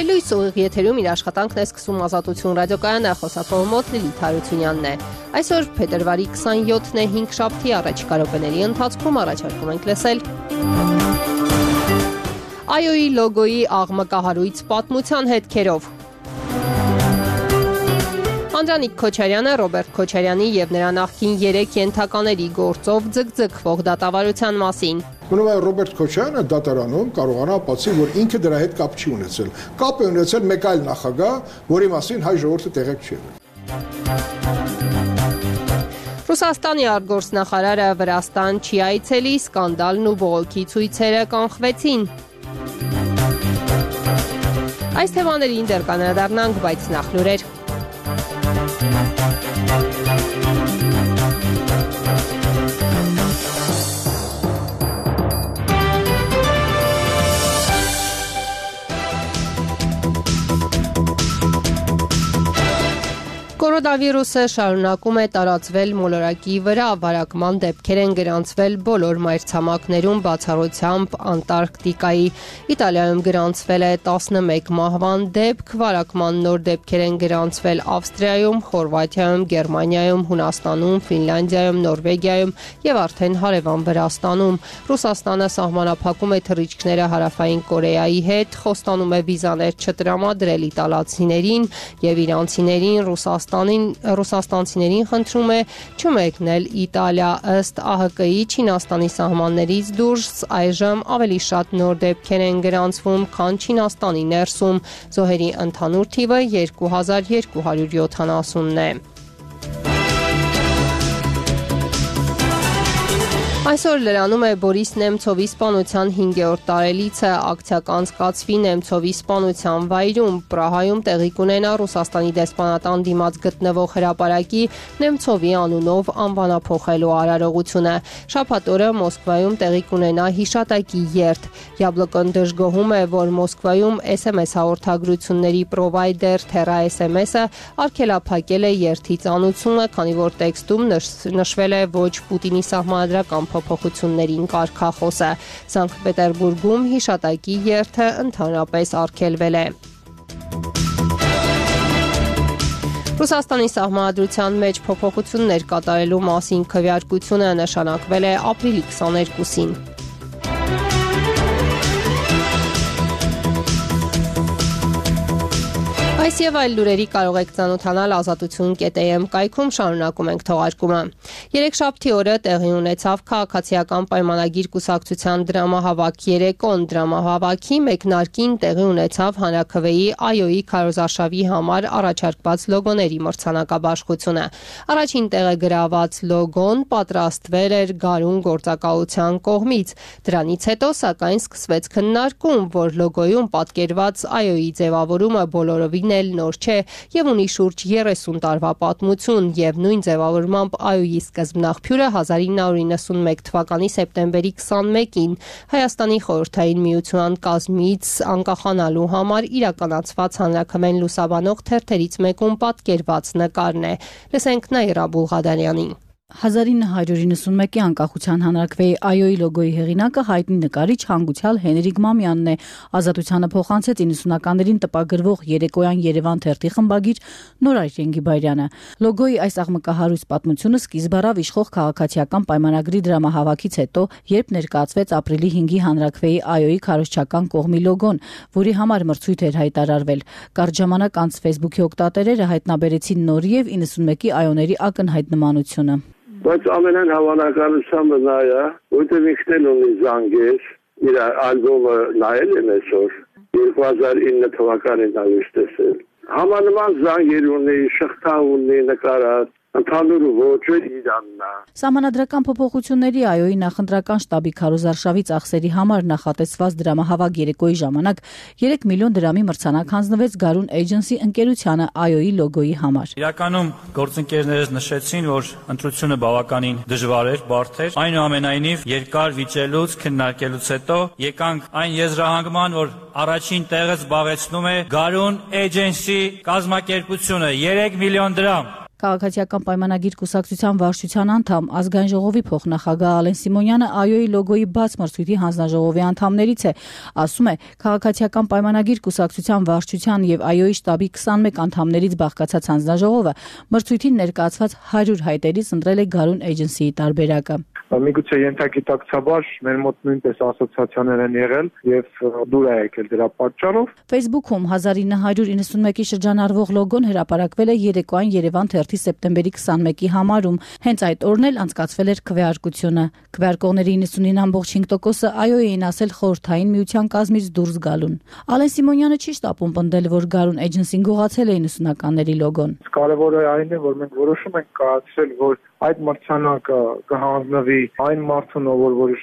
Հայլույս ուղիղ եթերում իր աշխատանքն է սկսում Ազատություն ռադիոկայանը, խոսակողը մոտ Լիլիթ Հարությունյանն է։ Այսօր փետրվարի 27-ն է, 5 շաբթի, առաջիկա րոպեների ընթացքում առաջարկում ենք լսել ԱՅՈ-ի լոգոյի աղմկահարույց պատմության հետքերով։ Անդրանիկ Քոչարյանը Ռոբերտ Քոչարյանի և նրա նախկին 3 ենթակաների գործով ձգձգվող դատավարության մասին։ Մնում է Ռոբերտ Քոչարյանը դատարանում կարողանա ապացուցել, որ ինքը դրա հետ կապ չի ունեցել։ Կապ է ունեցել մեկ այլ նախագահ, որի մասին հայ ժողովուրդը տեղեկ չի եղել։ Ռուսաստանի արտգործնախարարը Վրաստան չի այցելի, սկանդալն ու բողոքի ցույցերը կանխվեցին։ Այս թեմաներին դեռ կանրադառնանք, բայց նախ լուրեր։ Կորոնավիրուսը շարունակում է տարածվել մոլորակի վրա, վարակման դեպքեր են գրանցվել բոլոր մայրցամաքներում, բացառությամբ Անտարկտիկայի։ Իտալիայում գրանցվել է 11 մահվան դեպք, վարակման նոր դեպքեր են գրանցվել Ավստրիայում, Խորվաթիայում, Գերմանիայում, Հունաստանում, Ֆինլանդիայում, Նորվեգիայում և արդեն հարևան Վրաստանում։ Ռուսաստանը սահմանափակում է թռիչքները Հարավային Կորեայի հետ, խոստանում է վիզաներ չտրամադրել իտալացիներին և իրանցիներին Ռուսաստանցիներին խնդրում է չմեկնել Իտալիա։ Ըստ ԱՀԿ-ի Չինաստանի սահմաններից դուրս այժմ ավելի շատ նոր դեպքեր են գրանցվում, քան Չինաստանի ներսում։ Զոհերի ընդհանուր թիվը 2270-ն է։ Այսօր լրանում է Բորիս Նեմցովի սպանության 5-րդ տարելիցը, ակցիա կանցկացվի Նեմցովի սպանության վայրում, Պրահայում տեղի կունենա Ռուսաստանի դեսպանատան դիմաց գտնվող հրապարակի Նեմցովի անունով անվանափոխելու արարողությունը։ Շաբաթ օրը Մոսկվայում տեղի կունենա հիշատակի երթ։ Յաբլոկոն դժգոհում է, որ Մոսկվայում SMS հաղորդագրությունների պրովայդեր Terra SMS-ը արգելափակել է երթի ծանուցումը, քանի որ տեքստում նշվել է ոչ Պուտինի սահմանադրական փոփոխություններին կարգախոսը։ Սանկտ Պետերբուրգում հիշատակի երթը ընդհանրապես արգելվել է։ Ռուսաստանի սահմանադրության մեջ փոփոխություններ կատարելու մասին քվեարկությունը նշանակվել է ապրիլի 22-ին։ Այս և այլ լուրերի կարող եք ծանոթանալ ազատություն.am կայքում, շարունակում ենք թողարկումը։ Երեքշաբթի օրը տեղի ունեցավ քաղաքացիական պայմանագիր կուսակցության դրամահավաք երեկոն։ Դրամահավաքի մեկնարկին տեղի ունեցավ հանրաքվեի ԱՅՈ-ի քարոզարշավի համար առաջարկված լոգոների մրցանակաբաշխությունը։ Առաջին տեղը գրաված լոգոն պատրաստվել էր Գարուն գործակալության կողմից։ Դրանից հետո, սակայն, սկսվեց քննարկում, որ լոգոյում պատկերված ԱՅՈ-ի ձևավորումը բոլորովին նոր չէ և ունի շուրջ 30 տարվա պատմություն և նույն ձևավորմամբ ԱՅՈ-ի սկզբնաղբյուրը 1991 թվականի սեպտեմբերի 21-ին Հայաստանի խորհրդային միության կազմից անկախանալու համար իրականացված հանրաքվեն լուսաբանող թերթերից մեկում պատկերված նկարն է։ Լսենք Նաիրա Բուլղադարյանին։ 1991-ի անկախության հանրաքվեի ԱՅՈ-ի լոգոյի հեղինակը հայտնի նկարիչ հանգուցյալ Հենրիկ Մամյանն է։ Ազատությանը փոխանցեց 90-ականներին տպագրվող Երեկոյան Երևան թերթի խմբագիր Նորայր Ենգիբարյանը։ Լոգոյի այս աղմկահարույց պատմությունը սկիզբ առավ իշխող քաղաքացիական պայմանագրի դրամահավաքից հետո, երբ ներկայացվեց ապրիլի 5-ի հանրաքվեի ԱՅՈ-ի քարոզչական կողմի լոգոն, որի համար մրցույթ էր հայտարարվել։ Կարճ ժամանակ անց Facebook-ի օգտատերերը հայտնաբերեցին նորի և 91-ի ԱՅՈ-ների ակնհայտ նմանությունը։ Բայց ամենայն հավանականությամբ նա է, որտեղ ինքն էլ ունի զանգեր, իր ալբոմը նայել եմ այսօր, 2009 թվականին նայել տեսել։ Համանման զանգեր ունի, շղթա ունի նկարած, ընդհանուր ոճը իրանն է։ Սահմանադրական փոփոխությունների ԱՅՈ-ի նախընտրական շտաբի քարոզարշավի ծախսերի համար նախատեսված դրամահավաք երեկոյի ժամանակ 3 միլիոն դրամի մրցանակ հանձնվեց Գարուն Էջենսի ընկերությանը ԱՅՈ-ի լոգոյի համար։ Իրականում գործընկերներս նշեցին, որ ընտրությունը բավականին դժվար էր, բարդ էր։ Այնուամենայնիվ երկար վիճելուց, քննարկելուց հետո եկանք այն եզրահանգման, որ առաջին տեղը զբաղեցնում է Գարուն Էջենսի կազմակերպությունը 3 միլիոն դրամ։ Քաղաքացիական պայմանագիր կուսակցության վարչության անդամ ազգային ժողովի փոխնախագահ Ալեն Սիմոնյանը ԱՅՈ-ի լոգոյի բաց մրցույթի հանձնաժողովի անդամներից է, ասում է, քաղաքացիական պայմանագիր կուսակցության վարչության եւ ԱՅՈ-ի շտաբի 21 անդամներից բաղկացած հանձնաժողովը մրցույթին ներկայացված 100 հայտերից ընտրել է Garun Agency-ի տարբերակը։ Միգուցե ենթագիտակցաբար մեր մոտ նույնպես ասոցիացիաներ են եղել եւ դուր է եկել դրա պատճառով։ Facebook-ում 1991-ի շրջանառվող լոգոն հրապարակվել է երեկոյան Երևան թերթի սեպտեմբերի 21-ի համարում։ Հենց այդ օրն էլ անցկացվել էր քվեարկությունը։ Քվեարկողների 99.5%-ը ԱՅՈ-ի էին ասել խորհրդային միության կազմից դուրս գալուն։ Ալեն Սիմոնյանը չի շտապում պնդել, որ Garun Agency-ն գողացել է 90-ականների լոգոն։ Կարևորը այն է, որ մենք որոշում ենք կայացրել, որ այդ մրցանակը կհանձնվի այն մարդուն, որ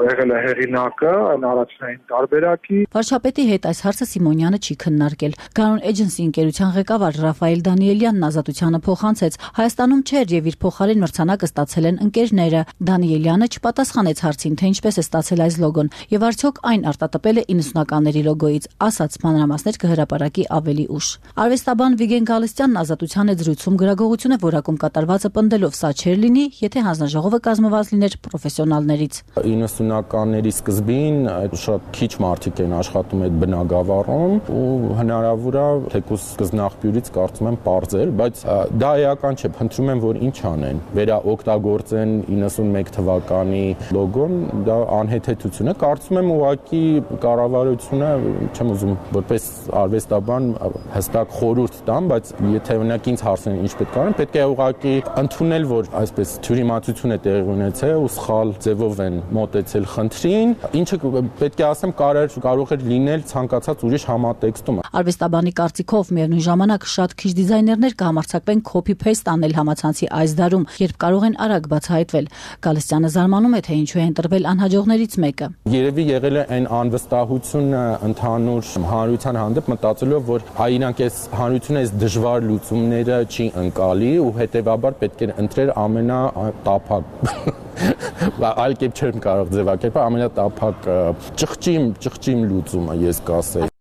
եղել է հեղինակը, այն առաջնային տարբերակի։ Վարչապետի հետ այս հարցը Սիմոնյանը չի քննարկել։ Garun Agency ընկերության ղեկավար Ռաֆայել Դանիելյանն ազատությանը փոխանցեց. Հայաստանում չէր եւ իր փոխարեն մրցանակը ստացել են ընկերները։ Դանիելյանը չպատասխանեց հարցին, թե ինչպես է ստացել այս լոգոն եւ արդյոք այն արտատպել է 90-ականների լոգոից, ասաց մանրամասներ կհրապարակի ավելի ուշ։ Արվեստաբան Վիգեն Գալստյանն ազատության հետ զրույցում գրագողությունը որակում կատարվածը պնդելով չէր լինի, եթե հանձնաժողովը կազմված լիներ պրոֆեսիոնալներից։ 90-ականների սկզբին շատ քիչ մարդիկ են աշխատում այդ բնագավառում ու հնարավոր է թեկուզ սկզբնաղբյուրից կարծում եմ պարզել, բայց դա էական չէ, փնտրում եմ որ ինչ անեն։ Վերաօգտագործեն 91 թվականի լոգոն, դա անհեթեթություն է, կարծում եմ ուղղակի կառավարությունը, չեմ ուզում որպես արվեստաբան հստակ խորհուրդ տամ, բայց եթե օրինակ ինձ հարցնեն ինչ պետք է անեմ, պետք է ուղղակի ընդունել որ այսպես թյուրիմացություն է տեղի ունեցել ու սխալ ձևով են մոտեցել խնդրին, ինչը պետք է ասեմ կարող էր լինել ցանկացած ուրիշ համատեքստում։ Արվեստաբանի կարծիքով միևնույն ժամանակ շատ քիչ դիզայներներ կհամարձակվեն copy-paste անել համացանցի այս դարում, երբ կարող են արագ բացահայտվել։ Գալստյանը զարմանում է, թե ինչու է ընտրվել անհաջողներից մեկը։ Երևի եղել է այն անվստահությունը ընդհանուր հանրության հանդեպ մտածելով, որ իրանք այս հանրությունը այս դժվար լուծումները չի ընկալի ու հետեւաբար պետք է ընտրել ամենատափակ այլ կերպ չեմ կարող ձևակերպել ամենատափակ ճղճիմ լուծումը ես կասեի։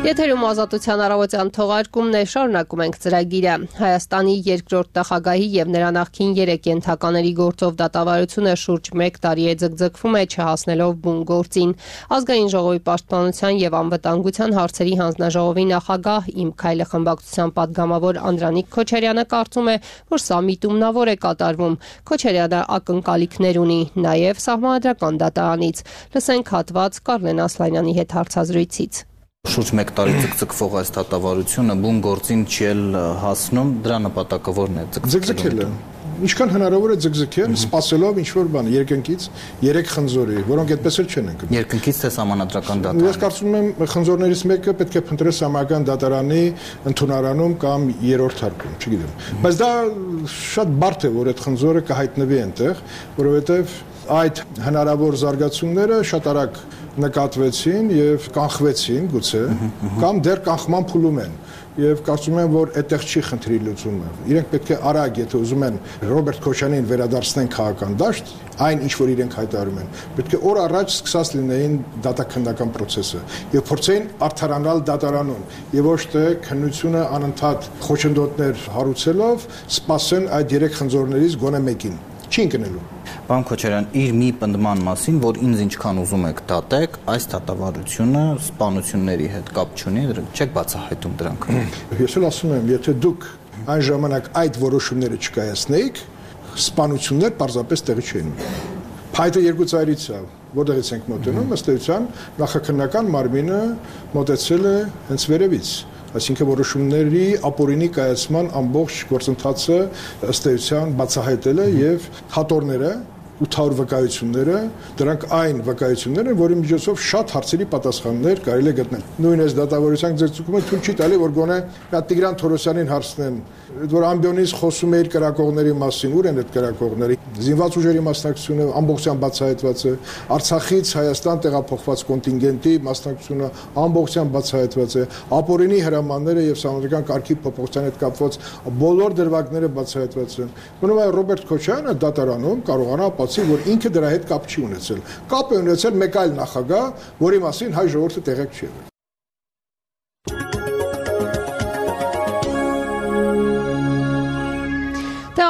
Եթերում ազատության առավոտյան թողարկումն է, շարունակում ենք ծրագիրը։ Հայաստանի երկրորդ նախագահի եւ նրա նախկին 3 ենթակաների գործով դատավարությունը շուրջ 1 տարի է ձգձգվում է չհասնելով բուն գործին։ Ազգային ժողովի պաշտպանության եւ անվտանգության հարցերի հանձնաժողովի նախագահ Իմ քայլը խմբակցության падգամավոր Անդրանիկ Քոչարյանը կարծում է, որ սա միտումնավոր է կատարվում։ Քոչարյանը ակնկալիքներ ունի նաեւ սահմանադրական դատարանից։ Լսենք հատված Կարլեն Ասլանյանի հետ հարցազրույցից։ Շուրջ 1 տարի ձգձգվող այս դատավարությունը բուն գործին չի հասնում, դրա նպատակը ո՞րն է ձգձգելը։ Ինչքան հնարավոր է ձգձգել, սпасելով ինչ-որ բան երկնքից 3 խնձորի, որոնք այդպես էլ չեն ընկնում։ Երկնքից թե սահմանադրական դատարան։ Ես կարծում եմ խնձորներից մեկը պետք է փնտրել սահմանադրական դատարանի ընդունարանում կամ երրորդ հարկում, չգիտեմ։ Բայց դա շատ բարդ է, որ այդ խնձորը կհայտնվի այնտեղ, որովհետև այդ հնարավոր զարգացումները շատ արագ նկատվեցին եւ կանխվեցին գուցե կամ դեռ կանխման փուլում են եւ կարծում եմ որ այդտեղ չի խնդրի լուծումը իրենք պետք է արագ եթե ուզում են Ռոբերտ Քոչանյանին վերադարձնեն քաղաքական դաշտ այն ինչ որ իրենք հայտարարում են պետք է օր առաջ սկսած լինեին դատաքննական process-ը եւ փորձեին արդարանալ դատարանում եւ ոչ թե քննությունը անընդհատ խոչընդոտներ հարուցելով սպասեն այդ 3 խնձորներից գոնե մեկին չի ընկնելու Պարոն Քոչարյան, իր մի պնդման մասին, որ ինձ ինչքան ուզում եք դատեք, այս դատավարությունը սպանությունների հետ կապ չունի, չեք բացահայտում դրանք։ Ես էլ ասում եմ, եթե դուք այն ժամանակ այդ որոշումները չկայացնեիք, սպանություններ պարզապես տեղի չէին ունենա։ Փայտը երկու ծայրից է, որտեղից ենք մոտենում, ըստ էության նախաքննական մարմինը մոտեցել է հենց վերևից։ Այսինքն որոշումների ապօրինի կայացման ամբողջ գործընթացը ըստ էության բացահայտել է եւ հատորները 800 վկայությունները դրանք այն վկայություններ են, որի միջոցով շատ հարցերի պատասխաններ կարելի է գտնել։ Նույն այս դատավարության ձգձգումը թույլ չի տալի, որ գոնե Տիգրան Թորոսյանին հարցնեն, որ ամբիոնից խոսում է իր կրակողների մասին, ուր են այդ կրակողները։ Զինված ուժերի մասնակցությունը ամբողջությամբ բացահայտված է, Արցախից Հայաստան տեղափոխված կոնտինգենտի մասնակցությունը ամբողջությամբ բացահայտված է, ապօրինի հրամանները եւ սահմանադրական կարգի փոփոխության հետ կապված բոլոր դրվագները բացահայտված են։ Մնում է Ռոբերտ Քոչարյանը դատարանում կարողանա ապացուցի, որ ինքը դրա հետ կապ չի ունեցել։ Կապ է ունեցել մեկ այլ նախագահ, որի մասին հայ ժողովուրդը տեղյակ չի եղել։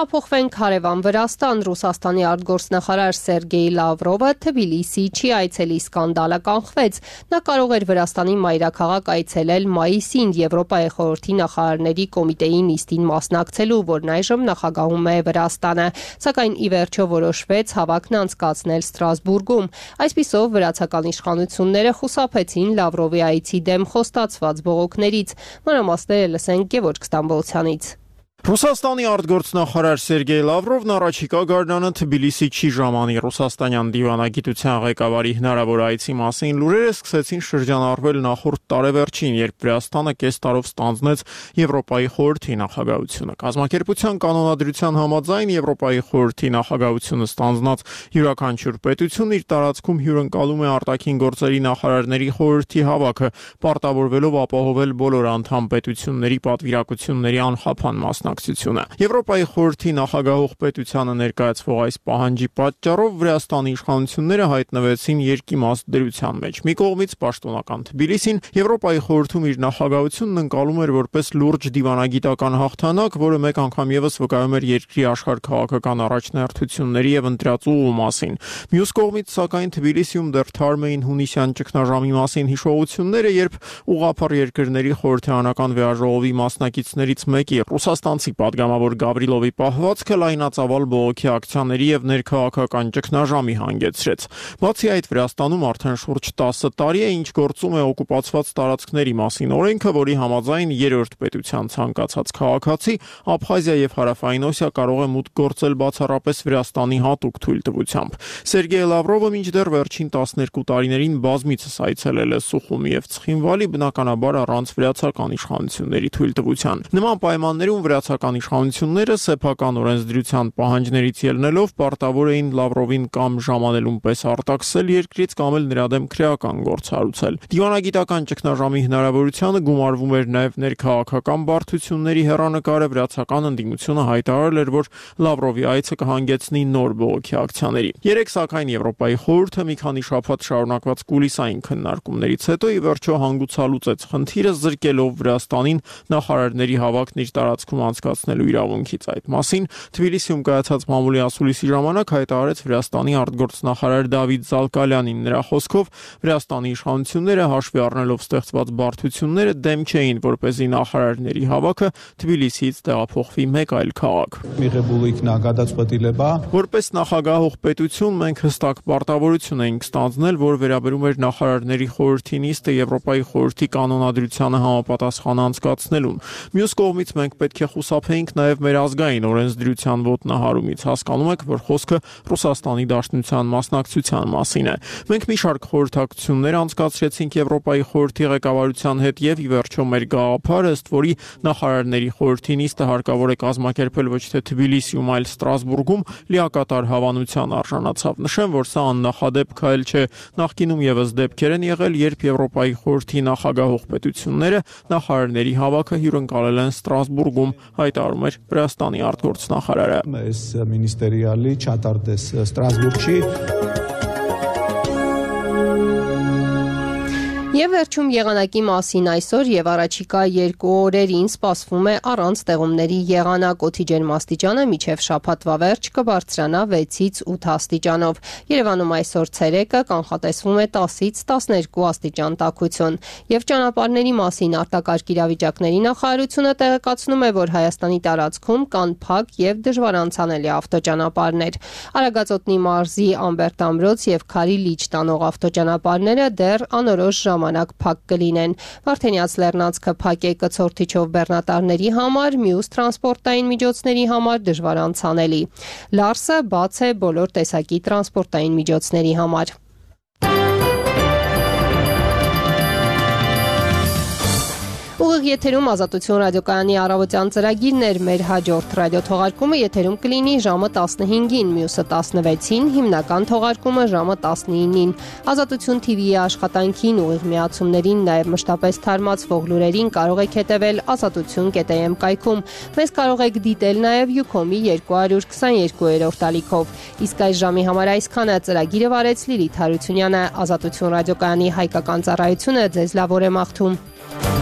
Տեղափոխվենք հարևան Վրաստան։ Ռուսաստանի արտգործնախարար Սերգեյ Լավրովը Թբիլիսի չի այցելի սկանդալը կանխվեց։ Նա կարող էր Վրաստանի մայրաքաղաք այցելել մայիսին Եվրոպայի խորհրդի նախարարների կոմիտեի նիստին մասնակցելու, որն այժմ նախագահում է Վրաստանը, սակայն ի վերջո որոշվեց հավաքն անցկացնել Ստրասբուրգում։ Այսպիսով վրացական իշխանությունները խուսափեցին Լավրովի այցի դեմ խոստացված բողոքներից։ Մանրամասները լսենք Գևորգ Ստամբոլցյանից։ Ռուսաստանի արտգործնախարար Սերգեյ Լավրովն առաջիկա գարնանը Թբիլիսի չի ժամանի։ Ռուսաստանյան դիվանագիտության ղեկավարի հնարավոր այցի մասին լուրերը սկսեցին շրջանառվել նախորդ տարեվերջին, երբ Վրաստանը կես տարով ստանձնեց Եվրոպայի խորհրդի նախագահությունը։ Կազմակերպության կանոնադրության համաձայն Եվրոպայի խորհրդի նախագահությունը ստանձնած յուրաքանչյուր պետություն իր տարածքում հյուրընկալում է արտաքին գործերի նախարարների խորհրդի հավաքը, պարտավորվելով ապահովել բոլոր անդամ պետությունների պատվիրակությունների անխափան մասնակցությունը։ Եվրոպայի խորհրդի նախագահող պետությանը ներկայացվող այս պահանջի պատճառով Վրաստանի իշխանությունները հայտնվեցին երկիմաստ դրության մեջ։ Մի կողմից պաշտոնական Թբիլիսին Եվրոպայի խորհրդում իր նախագահությունն ընկալում էր որպես լուրջ դիվանագիտական հաղթանակ, որը մեկ անգամ եւս վկայում էր երկրի աշխարհքաղաքական առաջնահերթությունների եւ ընտրածուղու մասին։ Մյուս կողմից, սակայն, Թբիլիսիում դեռ թարմ էին հունիսյան ճգնաժամի մասին հիշողությունները, երբ ուղղափառ երկրների խորհրդարանական վեաժողովի մասնակիցներից մեկի ռուսաստանցի պատգամավոր Գավրիլովի պահվածքը լայնածավալ բողոքի ակցիաների եւ ներքաղաքական ճգնաժամի հանգեցրեց։ Բացի այդ, Վրաստանում արդեն շուրջ 10 տարի է, ինչ գործում է օկուպացված տարածքների մասին օրենքը, որի համաձայն երրորդ պետության ցանկացած քաղաքացի Աբխազիա եւ Հարավային Օսիա կարող է մուտք գործել բացառապես Վրաստանի հատուկ թույլտվությամբ։ Սերգեյ Լավրովը մինչդեռ վերջին 12 տարիներին բազմիցս այցելել է Սուխումի եւ Ცხինվալի, բնականաբար առանց վրացական իշխանությունների թույլտվության։ Նման պայմաններում վրացական իշխանությունները սեփական օրենսդրության պահանջներից ելնելով պարտավոր էին Լավրովին կամ ժամանելուն պես արտաքսել երկրից կամ էլ նրա դեմ քրեական գործ հարուցել։ Դիվանագիտական ճգնաժամի հնարավորությանը գումարվում էր նաև ներքաղաքական բարդությունների հեռանկարը։ Վրացական ընդդիմությունը հայտարարել էր, որ Լավրովի այցը կհանգեցնի նոր բողոքի ակցիաների։ Երեք սակայն Եվրոպայի խորհուրդը մի քանի շաբաթ շարունակված կուլիսային քննարկումներից հետո ի վերջո հանգուցալուծեց խնդիրը, զրկելով Վրաստանին նախարարների հավաքն իր տարածքում անցկացնելու իրավունքից։ Այդ մասին Թբիլիսիում կայացած մամուլի ասուլիսի ժամանակ հայտարարեց Վրաստանի արտգործնախարար Դավիթ Զալկալյանին։ Նրա խոսքով Վրաստանի իշխանությունները հաշվի առնելով ստեղծված բարդությունները դեմ չէին, որպեսզի նախարարների հավաքը Թբիլիսիից տեղափոխվի մեկ այլ քաղաք։ Որպես նախագահող պետություն մենք հստակ պարտավորություն էինք ստանձնել, որ վերաբերում էր նախարարների խորհրդի նիստը Եվրոպայի խորհրդի կանոնադրությանը համապատասխան անցկացնելուն։ Մյուս կողմից մենք պետք է խուսափեինք նաև մեր ազգային օրենսդրության ոտնահարումից։ Հասկանում եք, որ խոսքը Ռուսաստանի Դաշնության մասնակցության մասին է։ Մենք մի շարք խորհրդակցություններ անցկացրեցինք Եվրոպայի խորհրդի ղեկավարության հետ եւ ի վերջո մեր գաղափարը, ըստ որի նախարարների խորհրդի նիստը հարկավոր է կազմակերպել ոչ թե Թբիլիսիում, այլ Ստրասբուրգում, լիակատար հավանության արժանացավ։ Նշեմ, որ սա աննախադեպ քայլ չէ։ Նախկինում եւս դեպքեր են եղել, երբ Եվրոպայի խորհրդի նախագահող պետությունները նախարարների հավաքը հյուրընկալել են Ստրասբուրգում, հայտարարում էր Վրաստանի արտգործնախարարը։ Այս մինիստրիալի չատարდეს Ստրասբուրգի Եվ վերջում եղանակի մասին այսօր եւ առաջիկա 2 օրերին սպասվում է առանց տեղումների եղանակ, օդի ջերմաստիճանը մինչև շաբաթվա վերջ կբարձրանա 6-ից 8 աստիճանով։ Երևանում այսօր ցերեկը կանխատեսվում է 10-ից 12 աստիճան տաքություն։ Եվ ճանապարհների մասին արտակարգ իրավիճակների նախարարությունը տեղեկացնում է, որ Հայաստանի տարածքում կան փակ եւ դժվար անցանելի ավտոճանապարհներ։ Արագածոտնի մարզի Ամբերտ Ամրոց եւ Քարի Լիճ տանող ավտոճանապարհները դեռ անորոշ ժամանակ փակ կլինեն։ Վարդենյաց Լեռնանցքը փակ է կցորդիչով բեռնատարների համար, մյուս տրանսպորտային միջոցների համար դժվար անցանելի։ Լարսը բաց է բոլոր տեսակի տրանսպորտային միջոցների համար։ Ուղիղ եթերում Ազատություն ռադիոկայանի առավոտյան ծրագիրն էր։ Մեր հաջորդ ռադիոթողարկումը եթերում կլինի ժամը 15-ին, մյուսը 16-ին, հիմնական թողարկումը ժամը 19-ին։ Ազատություն TV-ի աշխատանքին, ուղիղ միացումներին, նաև մշտապես թարմացվող լուրերին կարող եք հետևել azatutun.am կայքում։ Մեզ կարող եք դիտել նաև Ucom-ի 222-րդ ալիքով։ Իսկ այս ժամի համար այսքանը։ Ծրագիրը վարեց Լիլիթ Հարությունյանը։ Ազատություն ռադիոկայանի հայկական ծառայությունը ձեզ լավ օր է մաղթում։